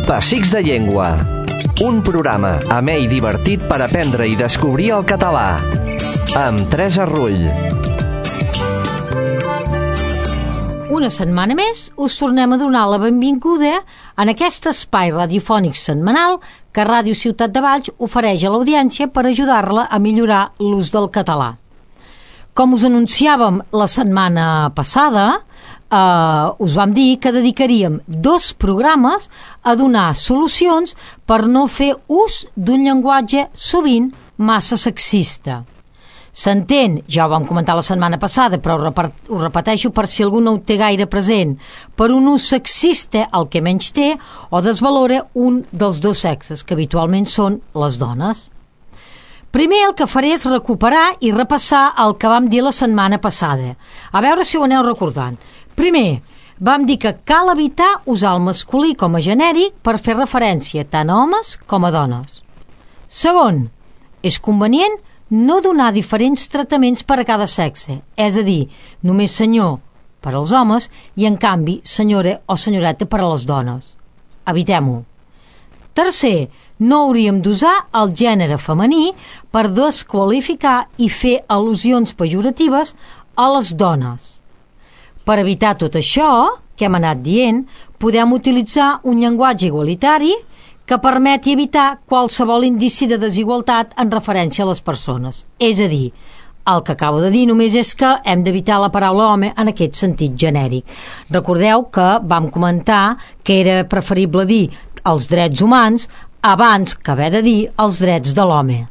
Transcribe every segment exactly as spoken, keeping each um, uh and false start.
Pessics de Llengua. Un programa amè i divertit per aprendre i descobrir el català. Amb Teresa Rull. Una setmana més us tornem a donar la benvinguda en aquest espai radiofònic setmanal que Ràdio Ciutat de Valls ofereix a l'audiència per ajudar-la a millorar l'ús del català. Com us anunciàvem la setmana passada, eh, us vam dir que dedicaríem dos programes a donar solucions per no fer ús d'un llenguatge sovint massa sexista. S'entén, ja ho vam comentar la setmana passada, però ho repeteixo per si algú no ho té gaire present, per un ús sexista el que menys té o desvalora un dels dos sexes, que habitualment són les dones. Primer el que faré és recuperar i repassar el que vam dir la setmana passada. A veure si ho aneu recordant. Primer, vam dir que cal evitar usar el masculí com a genèric per fer referència tant a homes com a dones. Segon, és convenient no donar diferents tractaments per a cada sexe, és a dir, només senyor per als homes i, en canvi, senyora o senyoreta per a les dones. Evitem-ho. Tercer, no hauríem d'usar el gènere femení per desqualificar i fer al·lusions pejoratives a les dones. Per evitar tot això que hem anat dient, podem utilitzar un llenguatge igualitari que permeti evitar qualsevol indici de desigualtat en referència a les persones. És a dir, el que acabo de dir només és que hem d'evitar la paraula home en aquest sentit genèric. Recordeu que vam comentar que era preferible dir els drets humans abans que haver de dir els drets de l'home.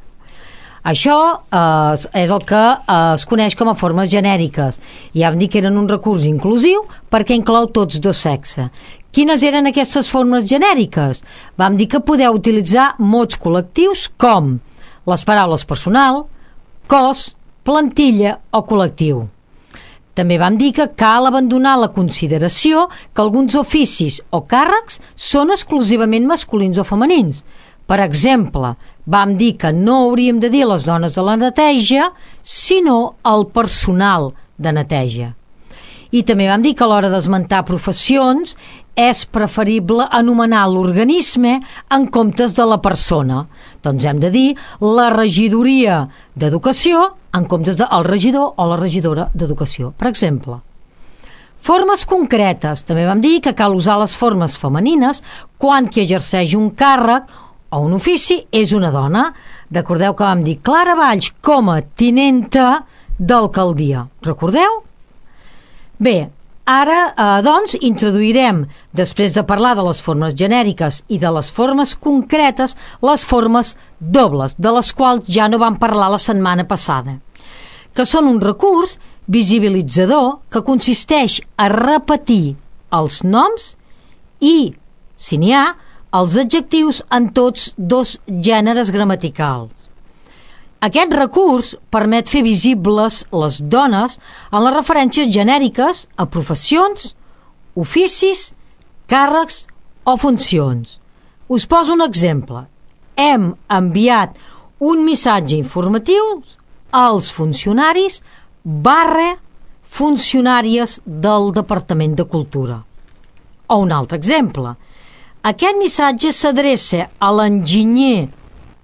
Això eh, és el que eh, es coneix com a formes genèriques. Ja vam dir que eren un recurs inclusiu perquè inclou tots dos sexes. Quines eren aquestes formes genèriques? Vam dir que podeu utilitzar mots col·lectius com les paraules personal, cos, plantilla o col·lectiu. També vam dir que cal abandonar la consideració que alguns oficis o càrrecs són exclusivament masculins o femenins. Per exemple, vam dir que no hauríem de dir les dones de la neteja, sinó el personal de neteja. I també vam dir que a l'hora d'esmentar professions és preferible anomenar l'organisme en comptes de la persona. Doncs hem de dir la regidoria d'educació en comptes del regidor o la regidora d'educació, per exemple. Formes concretes. També vam dir que cal usar les formes femenines quan qui exerceix un càrrec o un ofici és una dona. Recordeu que vam dir Clara Valls com a tinenta d'alcaldia. Recordeu? Bé, ara, eh, doncs, introduirem, després de parlar de les formes genèriques i de les formes concretes, les formes dobles, de les quals ja no vam parlar la setmana passada, que són un recurs visibilitzador que consisteix a repetir els noms i, si n'hi ha, els adjectius en tots dos gèneres gramaticals. Aquest recurs permet fer visibles les dones en les referències genèriques a professions, oficis, càrrecs o funcions. Us poso un exemple. Hem enviat un missatge informatiu als funcionaris barra funcionàries del Departament de Cultura. O un altre exemple. Aquest missatge s'adreça a l'enginyer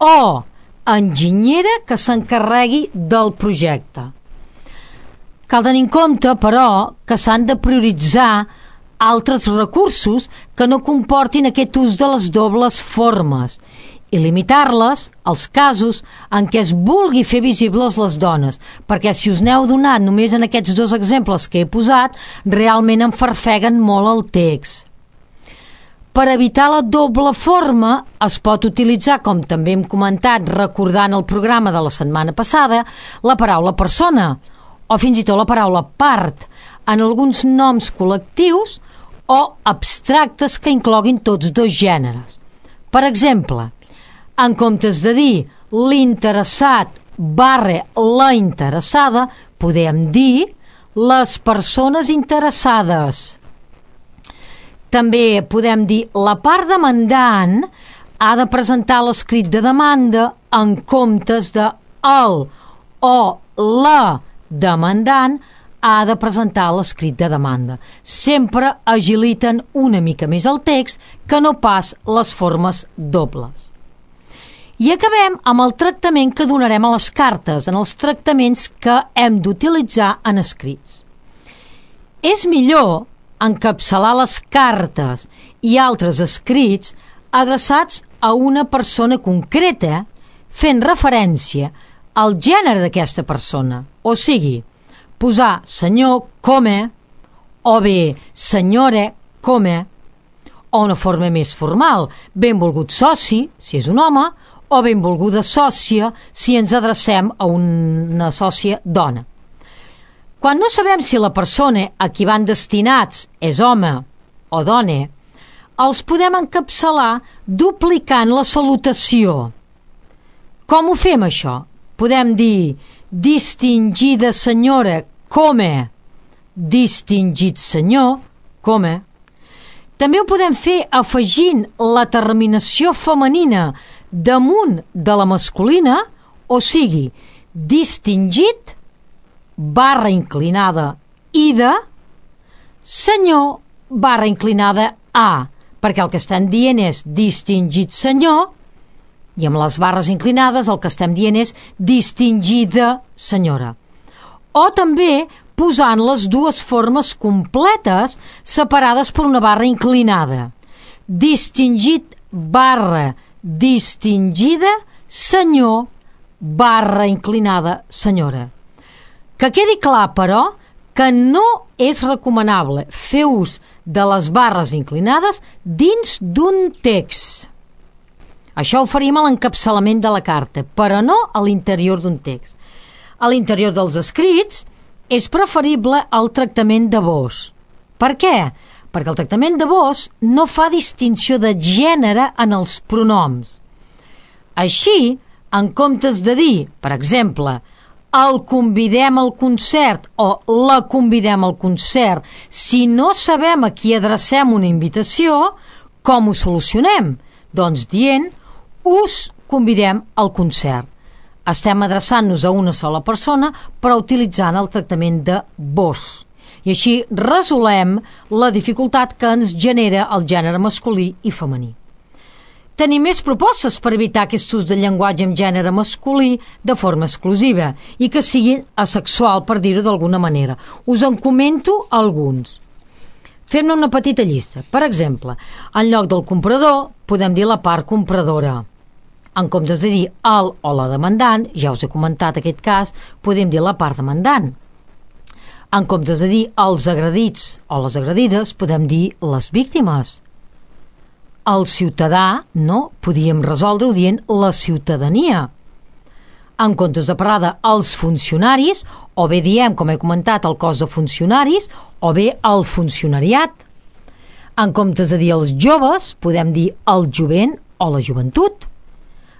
o enginyera que s'encarregui del projecte. Cal tenir en compte, però, que s'han de prioritzar altres recursos que no comportin aquest ús de les dobles formes i limitar-les als casos en què es vulgui fer visibles les dones, perquè si us n'heu donat només en aquests dos exemples que he posat, realment enfarfeguen molt el text. Per evitar la doble forma es pot utilitzar, com també hem comentat recordant el programa de la setmana passada, la paraula persona o fins i tot la paraula part en alguns noms col·lectius o abstractes que incloguin tots dos gèneres. Per exemple, en comptes de dir l'interessat barra la interessada, podem dir les persones interessades. També podem dir la part demandant ha de presentar l'escrit de demanda en comptes de el o la demandant ha de presentar l'escrit de demanda. Sempre agiliten una mica més el text que no pas les formes dobles. I acabem amb el tractament que donarem a les cartes, en els tractaments que hem d'utilitzar en escrits. És millor encapçalar les cartes i altres escrits adreçats a una persona concreta, fent referència al gènere d'aquesta persona, o sigui, posar senyor come, o bé senyora come, o una forma més formal, benvolgut soci, si és un home, o benvolguda sòcia, si ens adrecem a una sòcia dona. Quan no sabem si la persona a qui van destinats és home o dona, els podem encapçalar duplicant la salutació. Com ho fem, això? Podem dir distingida senyora come, distingit senyor come. També ho podem fer afegint la terminació femenina damunt de la masculina, o sigui, distingit barra inclinada ida, senyor barra inclinada a, perquè el que estem dient és distingit senyor, i amb les barres inclinades el que estem dient és distingida senyora. O també posant les dues formes completes separades per una barra inclinada. Distingit barra distingida senyor barra inclinada senyora. Que quedi clar, però, que no és recomanable fer ús de les barres inclinades dins d'un text. Això ho faríem a l'encapçalament de la carta, però no a l'interior d'un text. A l'interior dels escrits és preferible el tractament de vos. Per què? Perquè el tractament de vos no fa distinció de gènere en els pronoms. Així, en comptes de dir, per exemple, el convidem al concert o la convidem al concert, si no sabem a qui adrecem una invitació, com ho solucionem? Doncs dient, us convidem al concert. Estem adreçant-nos a una sola persona, però utilitzant el tractament de vos. I així resolem la dificultat que ens genera el gènere masculí i femení. Tenim més propostes per evitar aquest ús del llenguatge amb gènere masculí de forma exclusiva i que sigui asexual, per dir-ho d'alguna manera. Us en comento alguns. Fem-ne una petita llista. Per exemple, en lloc del comprador podem dir la part compradora. En comptes de dir el o la demandant, ja us he comentat aquest cas, podem dir la part demandant. En comptes de dir els agredits o les agredides, podem dir les víctimes. El ciutadà, no, podíem resoldre-ho dient la ciutadania. En comptes de parlar de els funcionaris, o bé diem, com he comentat, el cos de funcionaris, o bé el funcionariat. En comptes de dir els joves, podem dir el jovent o la joventut.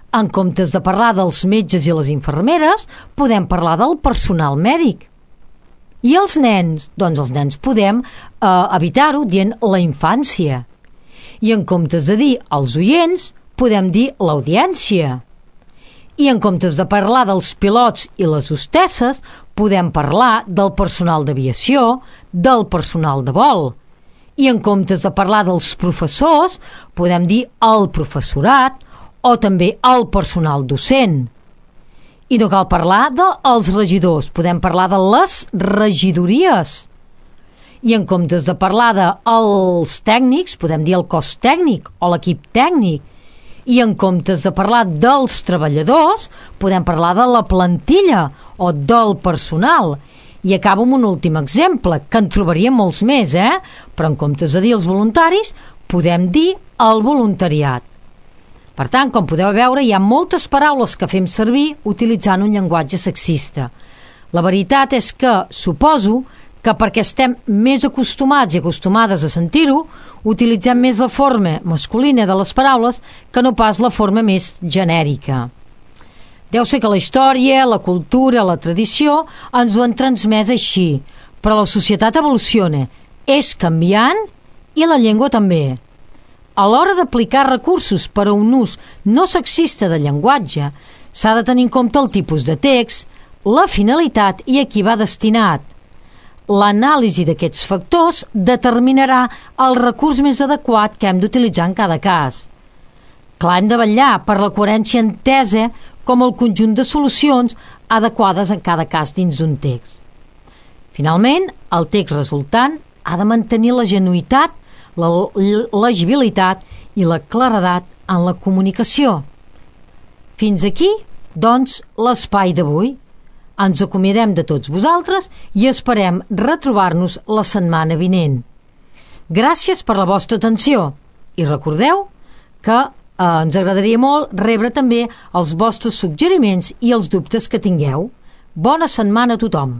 En comptes de parlar dels metges i les infermeres, podem parlar del personal mèdic. I els nens? Doncs els nens podem eh, evitar-ho dient la infància. I en comptes de dir els oients, podem dir l'audiència. I en comptes de parlar dels pilots i les hostesses, podem parlar del personal d'aviació, del personal de vol. I en comptes de parlar dels professors, podem dir el professorat o també el personal docent. I no cal parlar dels regidors, podem parlar de les regidories. I en comptes de parlar dels tècnics, podem dir el cos tècnic o l'equip tècnic. I en comptes de parlar dels treballadors, podem parlar de la plantilla o del personal. I acabo amb un últim exemple, que en trobaríem molts més, eh? Però en comptes de dir els voluntaris, podem dir el voluntariat. Per tant, com podeu veure, hi ha moltes paraules que fem servir utilitzant un llenguatge sexista. La veritat és que suposo que perquè estem més acostumats i acostumades a sentir-ho, utilitzem més la forma masculina de les paraules que no pas la forma més genèrica. Deu ser que la història, la cultura, la tradició ens ho han transmès així, però la societat evoluciona, és canviant i la llengua també. A l'hora d'aplicar recursos per a un ús no sexista del llenguatge, s'ha de tenir en compte el tipus de text, la finalitat i a qui va destinat. l'anàlisi d'aquests factors determinarà el recurs més adequat que hem d'utilitzar en cada cas. Clar, hem de vetllar per la coherència entesa com el conjunt de solucions adequades en cada cas dins d'un text. Finalment, el text resultant ha de mantenir la genuïtat, la legibilitat i la claredat en la comunicació. Fins aquí, doncs, l'espai d'avui. Ens acomiadem de tots vosaltres i esperem retrobar-nos la setmana vinent. Gràcies per la vostra atenció i recordeu que eh, ens agradaria molt rebre també els vostres suggeriments i els dubtes que tingueu. Bona setmana a tothom!